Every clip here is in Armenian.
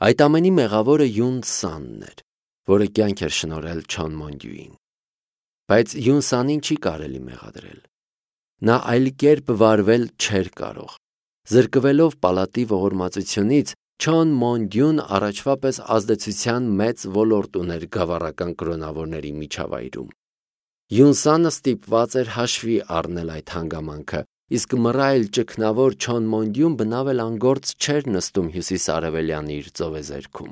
Այդ ամենի մեղավորը Յուն Սանն էր, որը կյանք էր շնորհել Չոն Մոնդյուին։ Բայց Յուն Սանին չի կարելի մեղադրել։ Նա այլ կերպ վարվել չէր կարող։ Զրկվելով պալատի ողորմածությունից, Չոն Մոնդյուն առաջվա պես ազդեցության մեծ ոլորտ ուներ գավառական կրոնավորների միջավայրում։ Յուն Սանը ստիպված էր հաշվի առնել այդ հանգամանքը, իսկ մռայլ ճգնավոր Չոն Մոնդյուն բնավ էլ անգործ չէր նստում հյուսիսարևելյան իր ծովեզերքում։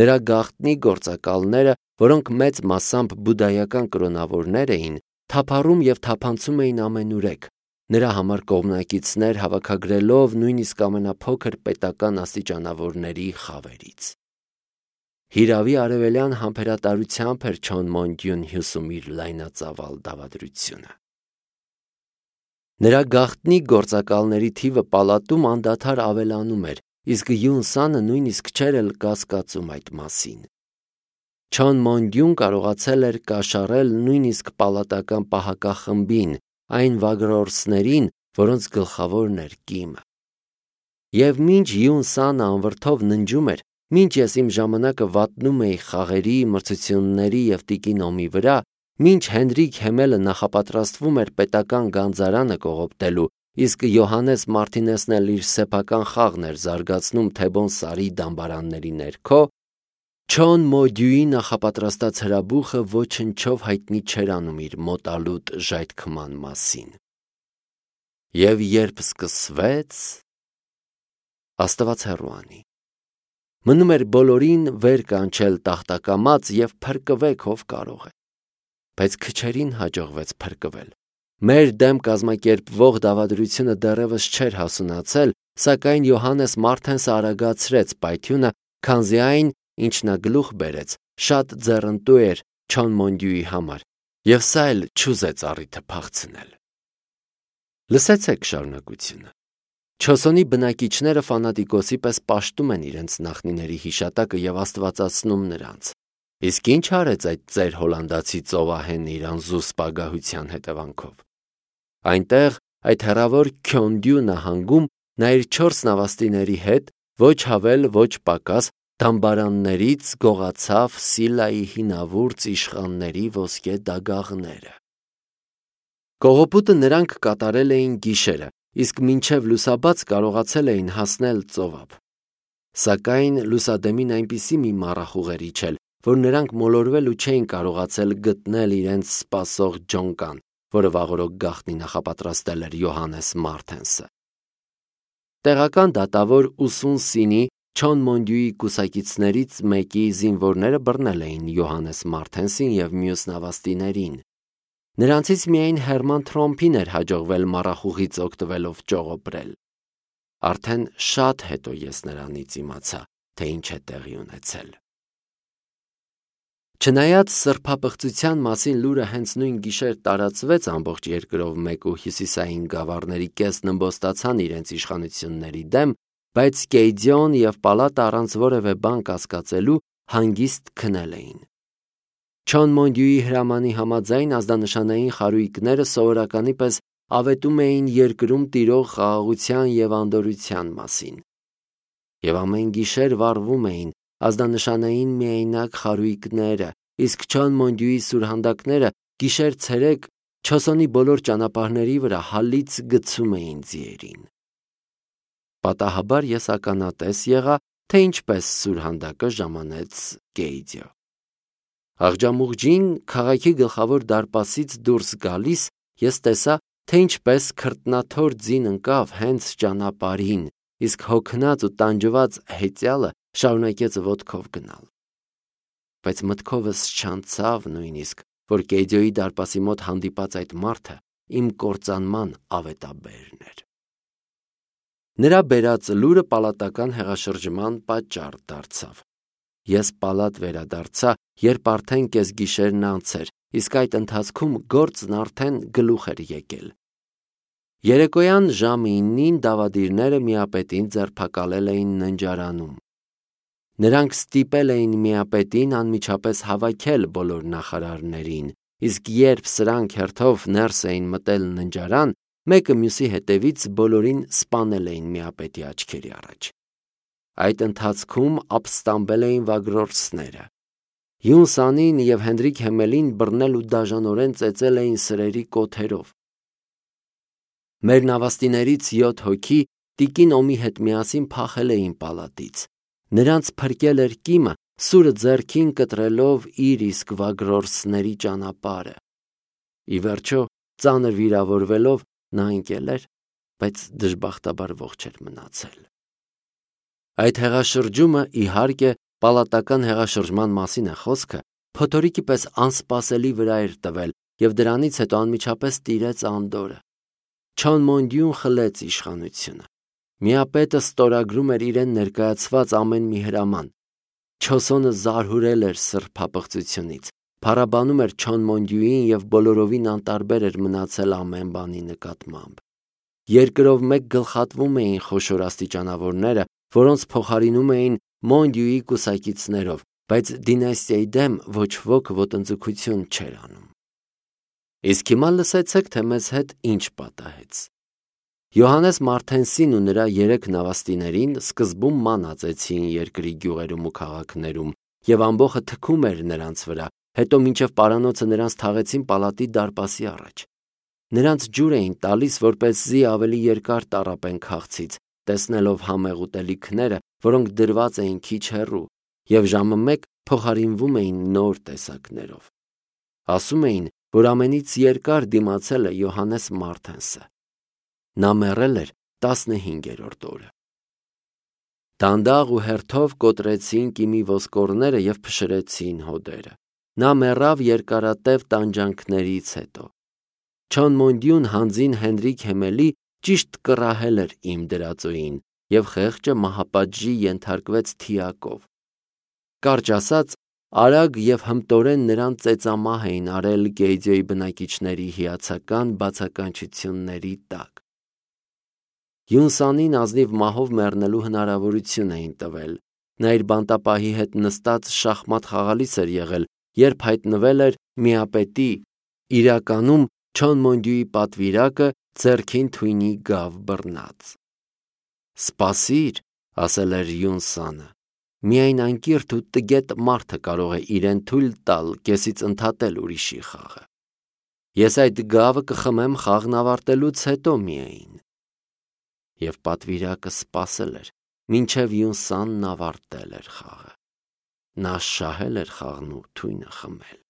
Նրա գաղտնի գործակալները, որոնք մեծ մասամբ բուդդայական կրոնավորներ էին, թափառում և թափանցում էին ամենուրեք, նրա համար կողմնակիցներ հավաքագրելով նույնիսկ ամենափոքր պետական աստիճանավորների խավերից։ Հիրավի արևելյան համբերատարությամբ էր Չոն Մոնդյուն հյուսում իր լայնածավալ դավադրությունը։ Նրա գաղտնի գործակալների թիվը պալատում անդադար ավելանում էր, իսկ Յուն Սանը նույնիսկ չէր էլ կասկածում այդ մասին։ Չոն Մոնդյուն կարողացել էր կաշառել նույնիսկ պալատական պահակախմբին, այն վագրորսներին, որոնց գլխավորն էր Կիմը։ Եվ մինչ Յուն Սանը անվրդով ննջում էր, մինչ ես իմ ժամանակը վատնում էի խաղերի, մրցությունների և Տիկին Օմի վրա, մինչ Հենրիկ Հեմելը նախապատրաստվում էր պետական գանձարանը կողոպտելու, իսկ Յոհաննես Մարտինեսն էլ իր սեփական խաղն էր զարգացնում Թեբոն Սարի դամբարանների ներքո, Չոն Մոնդյուի նախապատրաստած հրաբուխը ոչնչով հայտնի չէր անում իր մոտալուտ ժայթքման մասին։ Եվ երբ սկսվեց, Աստված հեռու անի։ Մնում էր բոլորին վեր կանչել տախտակամած և փրկվեք ով կարող է։ Բայց քչերին հաջողվեց փրկվել։ Մեր դեմ կազմակերպվող դավադրությունը դեռևս չէր հասունացել, սակայն Յոհաննես Մարտենսը արագացրեց պայթյունը, քանզի այն, ինչ նա գլուխ բերեց, շատ ձեռնտու էր Չոն Մոնդյուի համար, և սա էլ չուզեց առիթը փախցնել։ Լսեցեք շարունակությունը։ Չոսոնի բնակիչները ֆանատիկոսի պես պաշտում են իրենց նախնիների հիշատակը և աստվածացնում նրանց։ Իսկ ինչ արեց այդ ծեր հոլանդացի ծովահենը իր անզուս պագահության հետևանքով։ Այնտեղ, այդ հեռավոր Քյոնդյու նահանգում, նա իր 4 նավաստիների հետ, ոչ հավել, ոչ պակաս, դամբարաններից գողացավ Սիլայի հինավուրց իշխանների ոսկե դագաղները։ Կողոպուտը նրանք կատարել էին գիշերը, իսկ մինչև լուսաբաց կարողացել էին հասնել ծովափ։ Սակայն լուսադեմին այնպիսի մի մառախուղ էր իջել, որ նրանք մոլորվել ու չէին կարողացել գտնել իրենց սպասող ջոնկան, որը վաղօրոք գաղտնի նախապատրաստել էր Յոհաննես Մարտենսը։ Տեղական դատավոր Ուսուն Սինի Չոն Մոնդյուի կուսակիցներից մեկի զինվորները բռնել էին Յոհաննես Մարտենսին և մյուս նավաստիներին։ Նրանցից միայն Հերման Թրոմփին էր հաջողվել մառախուղից օգտվելով ճողոպրել։ Արդեն շատ հետո ես նրանից իմացա, թե ինչ է տեղի ունեցել։ Չնայած սրբապղծության մասին լուրը հենց նույն գիշեր տարածվեց ամբողջ երկրով մեկ ու հյուսիսային գավառների կեսն ըմբոստացան իրենց իշխանությունների դեմ, բայց Կեյդիոն և պալատը առանց որևէ բան կասկածելու հանգիստ քնել էին։ Չոն Մոնդյուի հրամանի համաձայն ազդանշանային խարույկները սովորականի պես ավետում էին երկրում տիրող խաղաղության և անդորրության մասին։ Եվ ամեն գիշեր վառվում էին ազդանշանային միայնակ խարույկները, իսկ Չոն Մոնդյուի սուրհանդակները գիշեր-ցերեկ Չոսոնի բոլոր ճանապարհների վրա հալից գցում էին ձիերին։ Պատահաբար ես ականատես եղա, թե ինչպես սուրհանդակը ժամանեց Կեյդիո։ Աղջամուղջին քաղաքի գլխավոր դարպասից դուրս գալիս ես տեսա, թե ինչպես քրտնաթոր ձին ընկավ հենց ճանապարհին, իսկ հոգնած ու տանջված հեծյալը շարունակեց ոտքով գնալ։ Բայց մտքովս չանցավ նույնիսկ, որ Կեյդիոյի դարպասի մոտ հանդիպած այդ մարդը իմ կործանման ավետաբերն էր։ Նրա բերած լուրը պալատական հեղաշրջման պատճառ դարձավ։ Ես պալատ վերադարձա, երբ արդեն կեսգիշերն անց էր, իսկ այդ ընթացքում գործն արդեն գլուխ էր եկել։ Երեկոյան ժամը 9-ին դավադիրները միապետին ձերբակալել էին ննջարանում։ Նրանք ստիպել էին միապետին անմիջապես հավաքել բոլոր նախարարներին, իսկ երբ սրանք հերթով ներս էին մտել ննջարան, մեկը մյուսի հետևից բոլորին սպանել էին միապետի աչքերի առաջ։ Այդ ընթացքում ապստամբել էին վագրորցները։ Յունսանին և Հենրիկ Հեմելին բռնել ու դաժանորեն ծեծել էին սրերի կոթերով։ Մեր նավաստիներից 7 հոգի տիկին Օմի հետ միասին փախել էին պալատից։ Նրանց փրկել էր կիմը, սուրը ձեռքին կտրելով իր իսկ վագրորցների ճանապարհը։ Ի վերջո, ծանր վիրավորվելով նա ընկել էր, բայց դժբախտաբար ողջ էր մնացել։ Այդ հեղաշրջումը, իհարկե, պալատական հեղաշրջման մասին է խոսքը, փոթորիկի պես անսպասելի վրա էր տվել և դրանից հետո անմիջապես տիրեց անդորրը։ Չոնմոնդյուն խլեց իշխանությունը։ Միապետը ստորագրում էր իրեն ներկայացված ամեն մի հրաման։ Չոսոնը զարհուրել էր սրբապղծությունից, փառաբանում էր Չոնմոնդյուին և բոլորովին անտարբեր էր մնացել ամեն բանի նկատմամբ։ Երկրով մեկ գլխատվում էին խոշոր աստիճանավորները, որոնց փոխարինում էին Մոնդյուի կուսակիցներով, բայց դինաստիայի դեմ ոչ ոք ոտնձգություն չէր անում։ Իսկ հիմա լսեցեք, թե մեզ հետ ինչ պատահեց։ Յոհաննես Մարտենսին ու նրա 3 նավաստիներին սկզբում ման ածեցին երկրի գյուղերում ու քաղաքներում, և ամբոխը թքում էր նրանց վրա, հետո մինչև պարանոցը նրանց թաղեցին պալատի դարպասի առաջ։ Նրանց ջուր էին տալիս, որպեսզի ավելի երկար տառապեն քաղցից, տեսնելով համեղ ուտելիքները, որոնք դրված էին քիչ հեռու, և ժամը 1 փոխարինվում էին նոր տեսակներով։ Ասում էին, որ ամենից երկար դիմացել է Յոհաննես Մարտենսը։ Նա մեռել էր 15-րդ օրը։ Դանդաղ ու հերթով կոտրեցին կիմի ոսկորները և փշրեցին հոդերը։ Նա մեռավ երկարատև տանջանքներից հետո։ Չոնմոնդյուն հանձին Հենրիկ Հեմելի ճիշտ կռահել էր իմ դրածոյին, և խեղճը մահապատժի ենթարկվեց թիակով։ Կարճ ասած, արագ և հմտորեն նրան ծեծամահ էին արել Գեյձոյի բնակիչների հիացական բացականչությունների տակ։ Յունսանին ազնիվ մահով մեռնելու հնարավորություն էին տվել։ Նա իր բանտապահի հետ նստած շախմատ խաղալիս էր եղել, երբ հայտնվել էր միապետի, իրականում Չոնմոնդյուի պատվիրակը, ձեռքին թույնի գավ բռնած։ «Սպասիր», ասել էր Յունսանը, «միայն անկիրթ ու տգետ մարդը կարող է իրեն թույլ տալ կեսից ընդհատել ուրիշի խաղը։ Ես այդ գավը կխմեմ խաղն ավարտելուց հետո միայն»։ Եվ պատվիրակը սպասել էր, մինչև Յունսանն ավարտել էր խաղը։ Նա շահել էր խաղն ու թույնը խմել։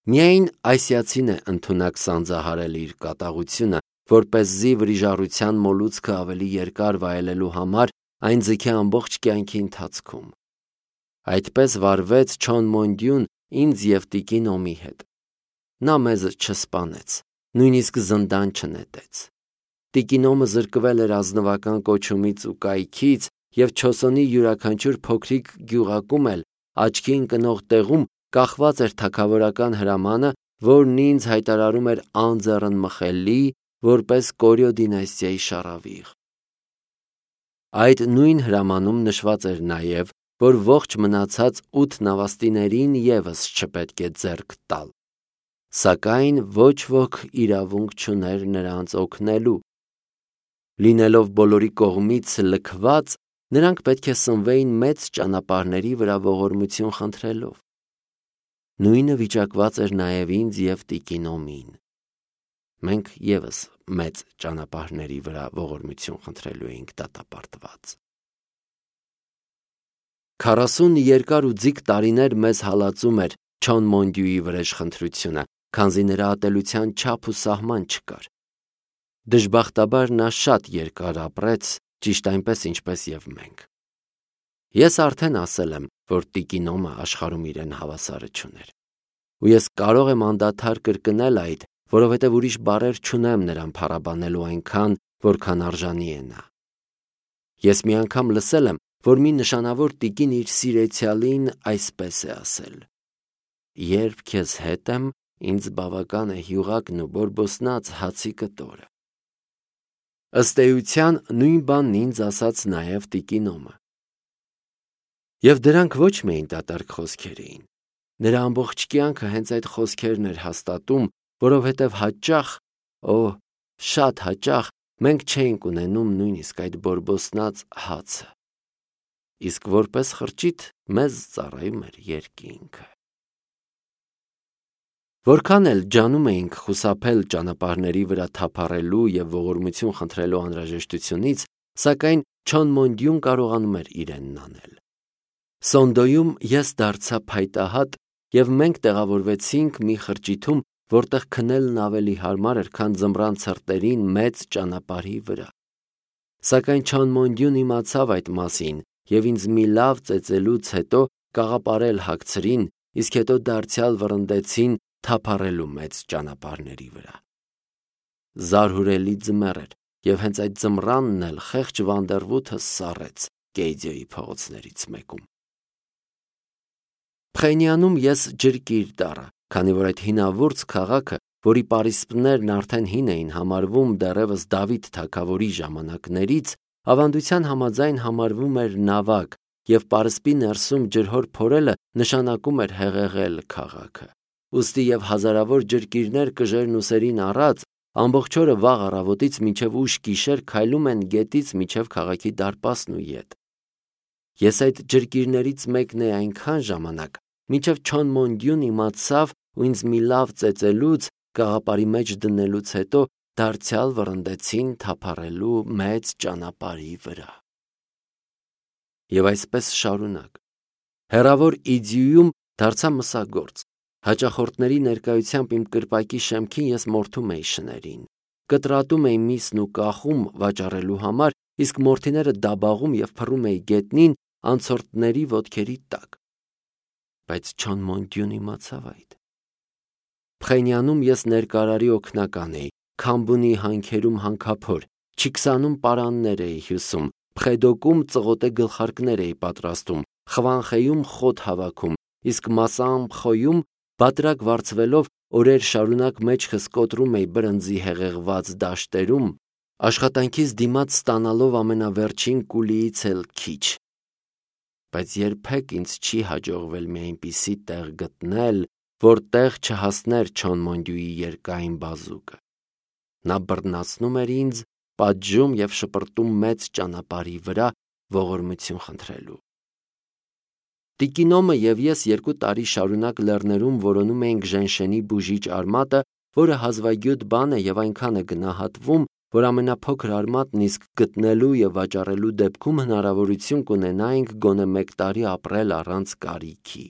Միայն ասիացին է ընդունակ սանձահարել իր կատաղությունը, որպեսզի վրիժառության մոլուցքը ավելի երկար վայելելու համար այն ձգի ամբողջ կյանքի ընթացքում։ Այդպես վարվեց Չոնմոնդյուն ինձ և տիկին Օմի հետ։ Նա մեզ չսպանեց, նույնիսկ զնդան չնետեց։ Տիկին Օմը զրկվել էր ազնվական կոչումից ու կայքից, և Չոսոնի յուրաքանչյուր փոքրիկ գյուղակում էլ աչքի ընկնող տեղում կախված էր թագավորական հրամանը, որն ինձ հայտարարում էր անձեռնմխելի, որպես Կորյո դինաստիայի շառավիղ։ Այդ նույն հրամանում նշված էր նաև, որ ողջ մնացած 8 նավաստիներին ևս չպետք է ձեռք տալ, սակայն ոչ ոք իրավունք չուներ նրանց օգնելու։ Լինելով բոլորի կողմից լքված, նրանք պետք է սնվեին մեծ ճանապարհների վրա ողորմություն խնդրելով։ Նույնը վիճակված էր նաև ինձ և տիկին Օմին։ Մենք ևս մեծ ճանապարհների վրա ողորմություն խնդրելու էինք դատապարտված։ 40 երկար ու ձիգ տարիներ մեզ հալածում էր Չոնմոնդյուի վրեժխնդրությունը, քանզի նրա ատելության չափ ու սահման չկար։ Դժբախտաբար նա շատ երկար ապրեց, ճիշտ այնպես, ինչպես և մենք։ Ես արդեն ասել եմ, որ տիկին Օմը աշխարհում իրեն հավասարը չուներ։ Ու ես կարող եմ անդադար կրկնել այդ, որովհետև ուրիշ բառեր չունեմ նրան փառաբանելու այնքան, որքան արժանի է նա։ Ես մի անգամ լսել եմ, որ մի նշանավոր տիկին իր սիրեցյալին այսպես է ասել. «Երբ քեզ հետ եմ, ինձ բավական է հյուղակն ու բորբոսնած հացի կտորը»։ Ըստ էության նույն բանն ինձ ասաց նաև տիկին Օմը։ Եվ դրանք ոչ միայն դատարկ խոսքեր էին։ Նրա ամբողջ կյանքը հենց այդ խոսքերն էր հաստատում, որովհետև հաճախ, շատ հաճախ մենք չէինք ունենում նույնիսկ այդ բորբոսնած հացը, իսկ որպես խրճիթ մեզ ծառայում էր երկինքը։ Որքան էլ ջանում էինք խուսափել ճանապարհների վրա թափառելու եւ ողորմություն խնդրելու անհրաժեշտությունից, սակայն Չոնմոնդյուն կարողանում էր իրենն անել։ Սոնդոյում ես դարձա փայտահատ եւ մենք տեղավորվեցինք մի խրճիթում, որտեղ քնելն ավելի հարմար էր, քան ձմռան ցրտերին մեծ ճանապարհի վրա։ Սակայն Չոնմոնդյուն իմացավ այդ մասին եւ ինձ մի լավ ծեծելուց հետո կաղապարել հագցրին, իսկ հետո դարձյալ վռնդեցին թափառելու մեծ ճանապարհների վրա։ Զարհուրելի ձմեռ էր եւ հենց այդ ձմռանն էլ խեղճ Վանդերվութը սառեց Կեյդիոյի փողոցներից մեկում։ Փխենյանում ես ջրկիր դառա, քանի որ այդ հինավուրց քաղաքը, որի պարիսպներն արդեն հին էին համարվում դեռևս Դավիթ թագավորի ժամանակներից, ավանդության համաձայն համարվում էր նավակ, եւ պարսպի ներսում ջրհոր փորելը նշանակում էր հեղեղել քաղաքը։ Ուստի եւ հազարավոր ջրկիրներ կժերն ուսերին առած ամբողջ օրը վաղ առավոտից մինչև ուշ գիշեր քայլում են գետից մինչև քաղաքի դարպասն ու ետ։ Ես այդ ջրկիրներից մեկն էի այնքան ժամանակ, մինչև Չոնմոնդյուն իմացավ ու ինձ մի լավ ծեծելուց գաղապարի մեջ դնելուց հետո դարձյալ վռնդեցին թափառելու մեծ ճանապարհի վրա։ Եվ այսպես շարունակ։ Հեռավոր Իդիում դարձա մսագործ։ Հաճախորդների ներկայությամբ իմ կրպակի շեմքին ես մորթում էի շներին։ Կտրատում էի միսն ու կախում վաճառելու համար, իսկ մորթիները դաբաղում եւ փռում էի գետնին անցորդների ոտքերի տակ։ Բայց Չոնմոնդյուն իմացավ այդ։ Փխենյանում ես ներկարարի օգնական էի, Քամբունի հանքերում հանքափոր, Չիքսանում պարաններ էի հյուսում, Փխեդոկում ծղոտե գլխարկներ էի պատրաստում, Խվանխեյում խոտ հավաքում, իսկ Մասամփխոյում բատրակ վարձվելով օրեր շարունակ մեջքս կոտրում էի բրնձի հեղեղված դաշտերում, աշխատանքից դիմաց ստանալով ամենավերջին կուլիից էլ քիչ։ Բայց երբեք ինձ չի հաջողվել մի այնպիսի տեղ գտնել, որտեղ չհասներ Չոնմոնդյուի երկայն բազուկը։ Նա բռնացնում էր ինձ, պատժում եւ շպրտում մեծ ճանապարհի վրա ողորմություն խնդրելու։ Տիկինոմը եւ ես 2 տարի շարունակ լեռներում որոնում էինք Ժենշենի բուժիչ արմատը, որը հազվագյուտ բան է եւ այնքան է գնահատվում, որ ամենափոքր արմատն իսկ գտնելու եւ վաճառելու դեպքում հնարավորություն կունենայինք գոնե 1 տարի ապրել առանց կարիքի։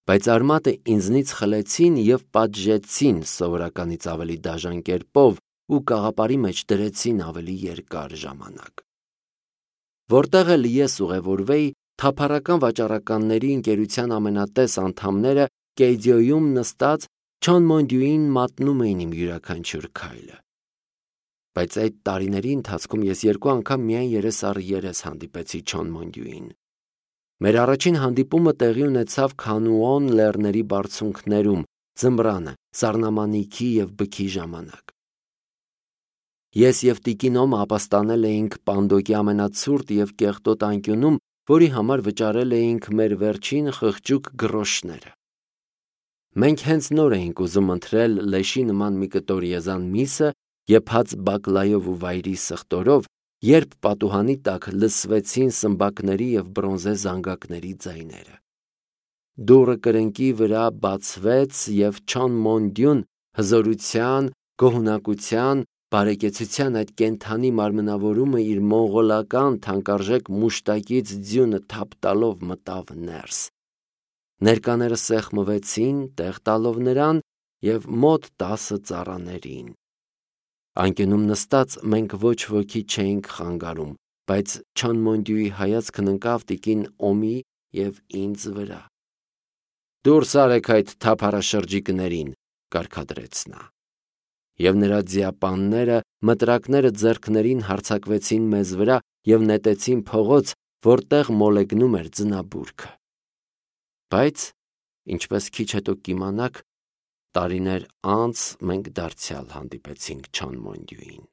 Բայց արմատը ինձնից խլեցին եւ պատժեցին սովորականից ավելի դաժան կերպով ու կաղապարի մեջ դրեցին ավելի երկար ժամանակ։ Որտեղ էլ ես ուղևորվեի, թափառական վաճառականների ընկերության ամենատես անդամները Կեյդիոյում նստած Չոնմոնդյուին մատնում էին իմ յուրաքանչյուր քայլը։ Բայց այդ տարիների ընթացքում ես 2 անգամ միայն երես առ երես հանդիպեցի Չոնմոնդյուին։ Մեր առաջին հանդիպումը տեղի ունեցավ Քանուոն լեռների բարձունքներում, ձմռանը, սառնամանիքի եւ բքի ժամանակ։ Ես եւ Տիկինոմը ապաստանել էինք Պանդոկի ամենացուրտ եւ կեղտոտ անկյունում, որի համար վճարել էինք մեր վերջին խղճուկ գրոշները։ Մենք հենց նոր էինք ուզում ընտրել լեշի նման մի կտոր եզան միսը, եփած բակլայով ու վայրի սխտորով, երբ պատուհանի տակ լսվեցին սմբակների եւ բրոնզե զանգակների ձայները։ Դուռը կրկնակի վրա բացվեց եւ Չոնմոնդյուն հզորության, գոհունակության, բարեկեցության այդ կենդանի մարմնավորումը իր մոնղոլական թանկարժեք մուշտակից ձյունը թափ տալով մտավ ներս։ Ներկաները սեղմվեցին, տեղ տալով նրան եւ մոտ 10 ծառաներին։ Անկյունում նստած մենք ոչ ոքի չէինք խանգարում, բայց Չոնմոնդյուի հայացքն ընկավ տիկին Օմի եւ ինձ վրա։ Դուրս արեք այդ թափառաշրջիկներին, կարգադրեց նա։ Եվ նրա ձիապանները, մտրակները ձեռքներին հարձակվեցին մեզ վրա եւ նետեցին փողոց, որտեղ մոլեգնում էր ձնաբուրգը։ Բայց, ինչպես քիչ հետո կիմանաք, տարիներ անց մենք դարձյալ հանդիպեցինք Չոնմոնդյուին։